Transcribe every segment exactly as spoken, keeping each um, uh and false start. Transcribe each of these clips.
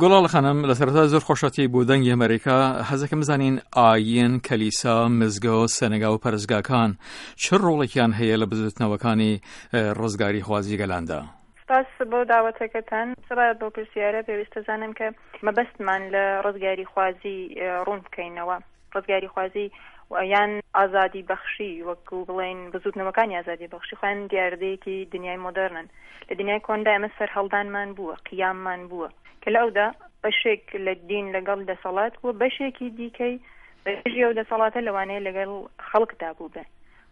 گوڵاڵە خانم، لە سەرەتا زۆر خۆشحاڵی بۆ دەنگی ئەمریکا. حەزەکەم بزانین ئاین، کەلیسا، مزگەوت، سەنەگا و پەرستگاکان چ ڕۆڵێکیان هەیە لە بزوتنەوەکانی ڕزگاری خوازی گەلاندا؟ سپاس بۆ داوەتەکەتان. سەبارەت بەو پرسیارە پێویستە زانم کە مەبەستمان لە ڕزگاری خوازی ڕوون بکەینەوە. ڕزگاری خوازی یان ئازادی بەخشی، وەکو بڵێن بزوتنەوەکانی ئازادی بەخشی، خۆیان دیاردەیەکی دنیای مۆدێرنن. لە دنیای کۆندا ئێمە سەرهەڵدانمان بووە، قیاممان بووە کە لە ئەودا بەشێک لە دین لەگەڵ دەسەڵات بووە، بەشێکی دیکەی بەدژی ئەو دەسەڵاتە لەوانەیە لەگەڵ خەڵکدا بووبێ.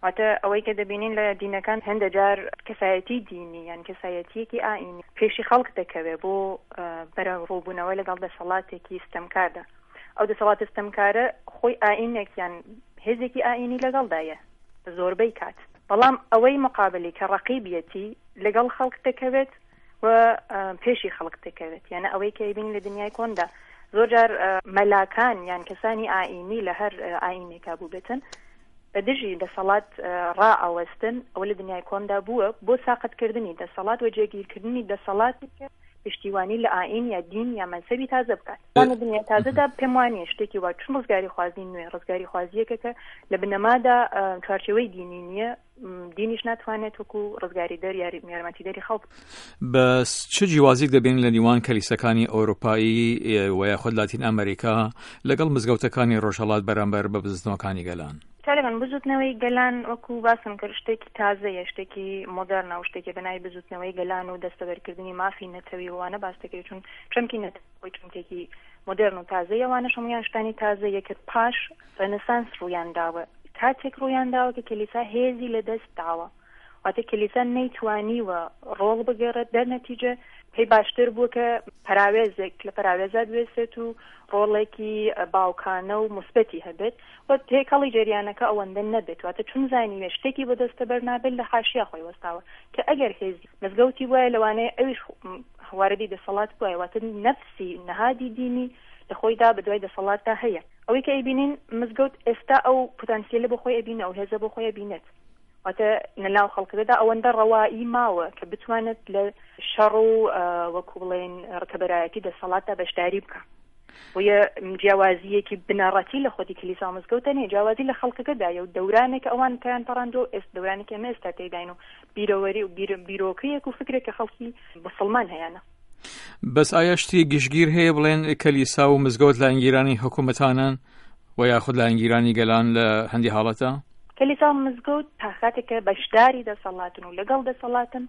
واتە ئەوەی کە دەبینین لە دینەکان هەندە جار کەسایەتی دینی یان کەسایەتیەکی ئاینی پێشی خەڵک دەکەوێ بۆ بەرەوڕووبوونەوە لەگەڵ دەسەڵاتێکی ستەمکاردا. ئەو دەسەڵاتە ستەمکارە خۆی ئاینێک یان هێزێکی ئاینی لەگەڵدایە زۆربەی کات، بەڵام ئەوەی مقابلی کە ڕەقیبیەتی لەگەڵ خەڵک دەکەوێت و پێشی خەڵک دەکەوێت. یانە ئەوەی کە ئەیبینین لە دنیای کۆندا زۆر جار مەلاکان یان کەسانی ئاینی لە هەر ئاینێکا بووبێتن بە دژی دەسەڵات ڕائەوەستن. ئەوە لە دنیای کۆندا بووە بۆ ساقتکردنی دەسەڵات و جێگیرکردنی دەسەڵاتی کە پشتیوانی لە ئاین یا دین یا مەزهەبی تازە بکات. لە دنیای تازەدا پێم وانییە شتێکی وا، چون ڕزگاری خوازی نوێ ڕزگاری خوازیەکە کە لە بنەمادا چوارچێوەی دینی نییە، دینیش ناتوانێت وەکو ڕزگاری دەر یارمەتیدەری خەڵک. بەس چ جیوازێک دەبین لە نێوان کەلیسەکانی ئەوروپایی و یاخود لاتین ئەمریکا لەگەڵ مزگەوتەکانی ڕۆژهەڵات بەرامبەر بە بزوتنەوەکانی گەلان؟ تاالبان بزوتنەوەی گەلان وەکو باسم کرد شتێکی تازەیە، شتێکی مۆدێرنە و شتێکی بە ناوی بزوتنەوەی گەلان و دەستەبەرکردنی مافی نەتەوی وانە باس دەکرێت، چون چەمکی نەتەوەی چەمکێکی مۆدێرن و تازەیە. وانەش هەمویان شتانی تازەیە کە پاش ڕێنسانس ڕوویان داوە. کاتێک ڕوویان داوە کە کلیسا هێزی لەدەست داوە، واتە کلیسا نەیتوانیوە ڕۆڵ بگێڕێت، دەرنەتیجە پێی باشتر بووە کە پەراوێزێک لە پەراوێزا بوێسێت و ڕۆڵێکی باوکانە و مثبەتی هەبێت و تێکەڵی جەریانەکە ئەوەندە نەبێت. واتە چون زانیوێ شتێکی بۆ دەستەبەر نابێت لە حاشیا خۆی وەستاوە کە ئەگەر هێزی مزگەوتی وایە لەوانەیە ئەویش واردی دەسەڵات بووایە. واتە نەفسی نەهادی دینی لە خۆیدا بە دوای دەسەڵاتدا هەیە. ئەوەی کە ئەیبینین مزگەوت ئێستا ئەو پتانسیلە بۆ خۆی ئەبینێ، ئەو هێزە بۆ خۆی ئەبینێت، واتە لەناو خەڵکەکەدا ئەوەندە ڕەوایی ماوە کە بتوانێت لە شەڕ و وەکو بڵێن ڕکەبەرایەتی دەسەڵاتدا بەشداری بکە. بۆیە جیاوازیەکی بنەڕەتی لە خۆتی کلیسا و مزگەوتە نیە، جیاوازی لە خەڵکەکەدایە و دەورانێک ئەوان پێیان پەڕاندووە، ئێستا دەورانێک ئێمە ئێستا تێداین و بیرەوەری و بیرۆکەیەک و فکرێک کە خەڵکی مسلمان هەیانە. بەس ئایا شتی گشتگیر هەیە بڵێن کەلیسا و مزگەوت لایەنگیرانی حکوومەتانن و یاخود لایەنگیرانی گەلان لە هەندی حاڵەتە؟ کلیسا و مزگەوت تا کاتێک کە بەشداری دەسەڵاتن و لەگەڵ دەسەڵاتن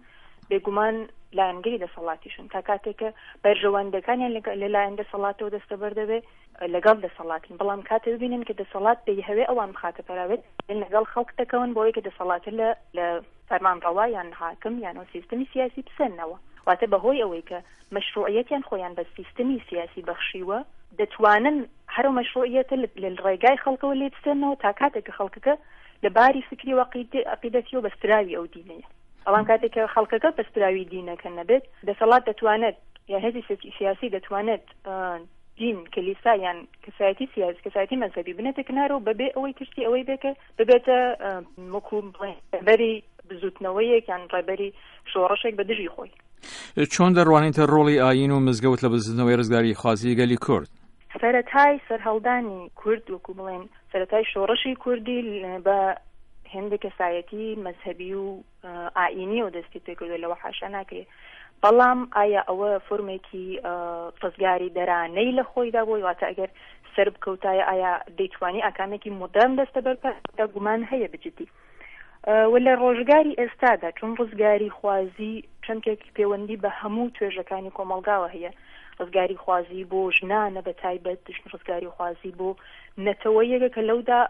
بێگومان لایەنگری دەسەڵاتیشن، تا کاتێک کە بەرژەوەندەکانیان لەلایەن دەسەڵاتەوە دەستەبەر دەبێت لەگەڵ دەسەڵاتن. بەڵام کاتێ ببینن کە دەسەڵات دەیهەوێ ئەوان بخاتە پەراوێز، لەگەڵ خەڵک دەکەون بۆ ئەوەی کە دەسەڵاتە لە لە فەرمانڕەوا یان حاکم یان ئەو سیستمی سیاسی بسەنەوە. واتە بەهۆی ئەوەی کە مەشروعیەتیان خۆیان بە سیستمی سیاسی بەخشیوە، دەتوانن هەر ئەو مەشروعیەتە لە ڕێگای خەڵکەوە لێ بسێنەوە تا کاتێک کە خەڵکەکە لە باری فکری و عەقیدەتیەوە بەستراوی ئەو دینەیە. بەڵام کاتێک کە خەڵکەکە بەستراوی دینەکە نەبێت، دەسەڵات دەتوانێت یان هێزی سیاسی دەتوانێت دین، کلیسا یان کەسایەتی سیاسی، کەسایەتی مەزهەبی بنێتە کنارەوە بەبێ ئەوەی ترسی ئەوەی بێ کە ببێتە وەکو ڕێبەری بزوتنەوەیەک یان ڕێبەری شۆڕشێک بە دژی خۆی. چۆن دەڕوانیتە ڕۆڵی ئایین و مزگەوت لە بزوتنەوەی ڕزگاری خوازی گەلی کورد؟ سەرەتای سەرهەڵدانی کورد، وەکو بڵێن سەرەتای شۆڕشی کوردی بە هێندێک کەسایەتی مەزهەبی و ئایینیەوە دەستی پێکردووە، لەوە حاشا ناکرێت. بەڵام ئایا ئەوە فۆرمێکی ڕزگاری دەرانەی لە خۆیدا بووی؟ واتە ئەگەر سەر بکەوتایە ئایا دەیتوانی ئاکامێکی مۆدێرن دەستەبەر بکات؟ گومان هەیە بجدی. و لە ڕۆژگاری ئێستادا چون ڕزگاری خوازی چەمکێک پەیوەندی بە هەموو توێژەکانی کۆمەڵگاوە هەیە، ڕزگاری خوازی بۆ ژنانە بە تایبەت، ڕزگاری خوازی بۆ نەتەوەیەکە کە لەودا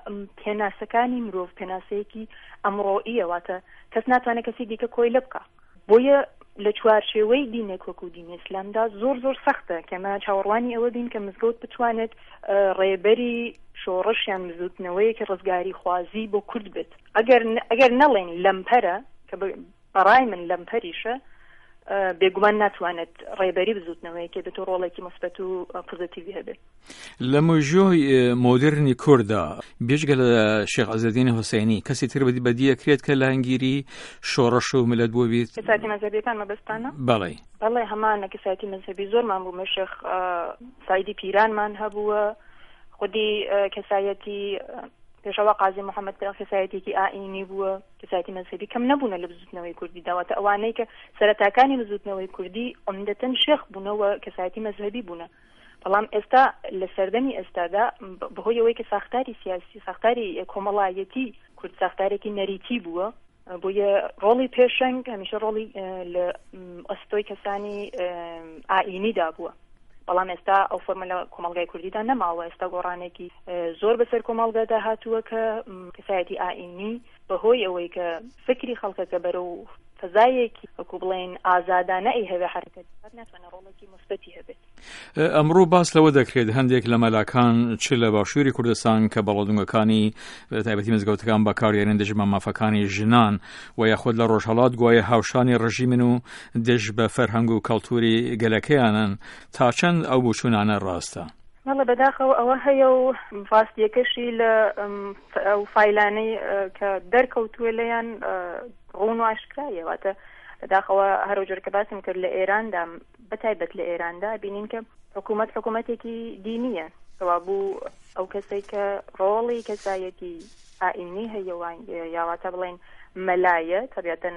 پێناسەکانی مرۆڤ پێناسەیەکی ئەمڕۆییە، واتە کەس ناتوانێت کەسی دیکە کۆیلە بکا. بۆیە لە چوارچێوەی دینێک وەکو دینی ئیسلامدا زۆر زۆر سەختە کەمە چاوەڕوانی ئەوە بین کە مزگەوت بتوانێت ڕێبەری شۆڕش یان بزوتنەوەیەکی ڕزگاری خوازی بۆ کورد بێت. ئەگەر ئەگەر نەڵێن لەمپەرە، کە بەڕای من لەمپەریشە، بێگومان ناتوانێت ڕێبەری بزوتنەوەیەکی بێت و ڕۆڵێکی موسبەت و پۆزیتیڤی هەبێت. لە مێژووی مۆدرنی کورددا بێجگە لە شێخ عزەدین حوسێنی کەسی تر بەدی ئەکرێت کە لایەنگیری شۆڕش و ملت بوو بیت؟ کەسایەتی مەزهەبیەکان مەبەستانە؟ بەڵێ. بەڵێ، هەمانە کەسایەتی مەزهەبی زۆرمان بوو. شێخ سعیدی پیرانمان هەبووە، خودی کەسایەتی پێشەوا قازی محەممەد کەسایەتێکی ئائینی بووە. کەسایەتی مەزهەبی کەم نەبوونە لە بزوتنەوەی کوردی داواتە ئەوانەی کە سەرەتاکانی بزوتنەوەی کوردی عمدەتەن شێخ بوونەوە کەسایەتی مەزهەبی بوونە. بەڵام ئێستا لە سەردەمی ئێستادا بەهۆی ئەوەی کە ساختاری سیاسی، ساختاری کۆمەڵایەتی کورد ساختارێکی نەریتی بووە، بۆیە ڕۆڵی پێشەنگ هەمیشە ڕۆڵی لە ئەستۆی کەسانی ئائینیدا بووە. بەڵام ئێستا ئەو فۆرمە لە کۆمەڵگای کوردیدا نەماوە. ئێستا گۆڕانێکی زۆر بەسەر کۆمەڵگادا هاتووە کە کەسایەتی ئائینی بەهۆی ئەوەی کە فکری خەڵکەکە بەرەو فەزایەکی وەکو بڵێن ئازادانە ئی هەوێ حرکەت بکات، ناتوانێت ڕۆڵێکی موسبەتی هەبێت. ئەمڕۆ باس لەوە دەکرێت هەندێک لە مەلاکان چ لە باشووری کوردستان کە بەڵادونگەکانی تایبەتی مزگەوتەکان بەکاردێنن دژ بە مافەکانی ژنان و یاخود لە ڕۆژهەڵات گوایە هاوشانی ڕژیمن و دژ بە فەرهەنگ و کەلتوری گەلەکەیانن، تا چەند ئەو بۆچوونانە ڕاستە؟ بەڵێ، بەداخەوە ئەوە هەیە و ڕاستیەکەشی لە ئەو فایلانەی کە دەرکەوتووە لەیان ڕوون و ئاشکرایە. واتە بەداخەوە هەرۆجۆر کە باسم کرد لە ئێراندا، بەتایبەت لە ئێراندا بینین کە حکوومەت حکوومەتێکی دینیە، بوو ئەو کەسێک کە ڕۆڵی کەسایەتی ئائینی هەیە یاواتە بڵێن مەلایە، تەبیعەتەن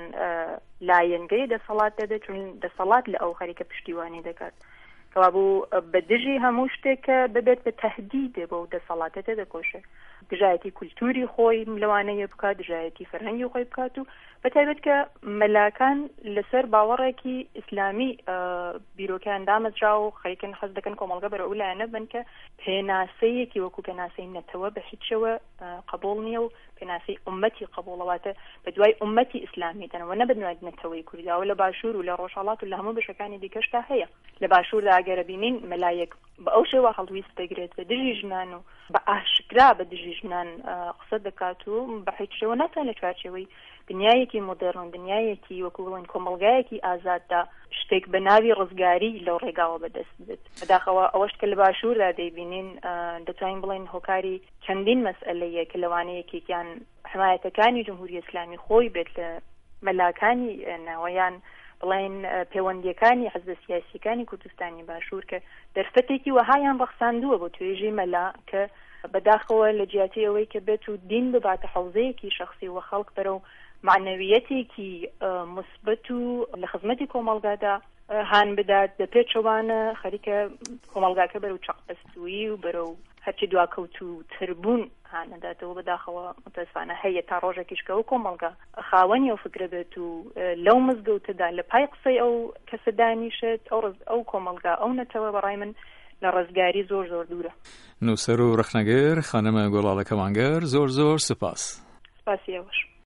لایەنگەی دەسەڵات دەبێت، چون دەسەڵات لە ئەو خەریکە پشتیوانی دەکات. کەوابوو بە دژی هەموو شتێک کە ببێت بە تەهدیدێ بۆ دەسەڵاتە تێدەکۆشێ، دژایەتی کولتوری خۆی لەوانەیە بکات، دژایەتی فەرهەنگی خۆی بکات و بەتایبەت کە مەلاکان لەسەر باوەڕێکی ئیسلامی بیرۆکەیان دامەزرا و خەریکن حەز دەکەن کۆمەڵگە بەرەو ئەو لایەنە بن کە پێناسەیەکی وەکو پێناسەی نەتەوە بە هیچەوە قبوڵ نییە و پێناسەی ئومەتی قبوڵەواتە بە دوای ئومەتی ئیسلامی دەنەوە نە بە دوای نەتەوەی کوردیاوە. لە باشوور و لە ڕۆژهەڵات و لە هەموو بەشەکانی دیکەشتا هەیە. لە باشووردا ئەگەرە بینین مەلایەک بە ئەو شێوە هەڵویست دەگرێت بە دژی ژنان و بە ئاشکرا بە دژی ژنان قسە دەکات و بە هیچ شێوە ناتوانێت لە چوارچێوەی دنیایەکی مۆدێرن، دنیایەکی وەکو بڵێن کۆمەڵگایەکی ئازاددا شتێک بە ناوی ڕزگاری لەو ڕێگاوە بەدەست بێت. بەداخەوە ئەوەش کە لە باشووردا دەیبینین دەتوانین بڵێن هۆکاری چەندین مەسئلەیە کە لەوانەیە یەکێکیان حمایەتەکانی جمهوری ئیسلامی خۆی بێت لە مەلاکانی ناوەیان بڵێن پەیوەندیەکانی حزب سیاسیەکانی کوردستانی باشوور کە دەرفەتێکی وەهایان ڕەخساندووە بۆ توێژی مەلا کە بەداخەوە لە جیاتی ئەوەی کە بێت و دین بباتە حوزەیەکی شخصی و خەڵک بەرەو معنەویەتێکی مثبت و لە خزمەتی کۆمەڵگادا هان بدات، بە پێچەوانە خەریکە کۆمەڵگاکە بەرەو چەقبەستوویی و بەرەو هەرچی دواکەوتوو تربوون هانەداتەوە. بەداخەوە متەسفانە هەیە تا ڕۆژێکیش کە ئەو کۆمەڵگا خاوەنی ئەو فکرە بێت و لەو مزگەوتەدا لە پای قسەی ئەو کەسە دانیشێت، ئەو ئەو کۆمەڵگا ئەو نەتەوە بەڕای من لە ڕزگاری زۆر زۆر دوورە. نووسەر و ڕەخنەگر خانمە گوڵاڵە کەمانگەر، زۆر زۆر سپاس. سپاسی ئێوەش.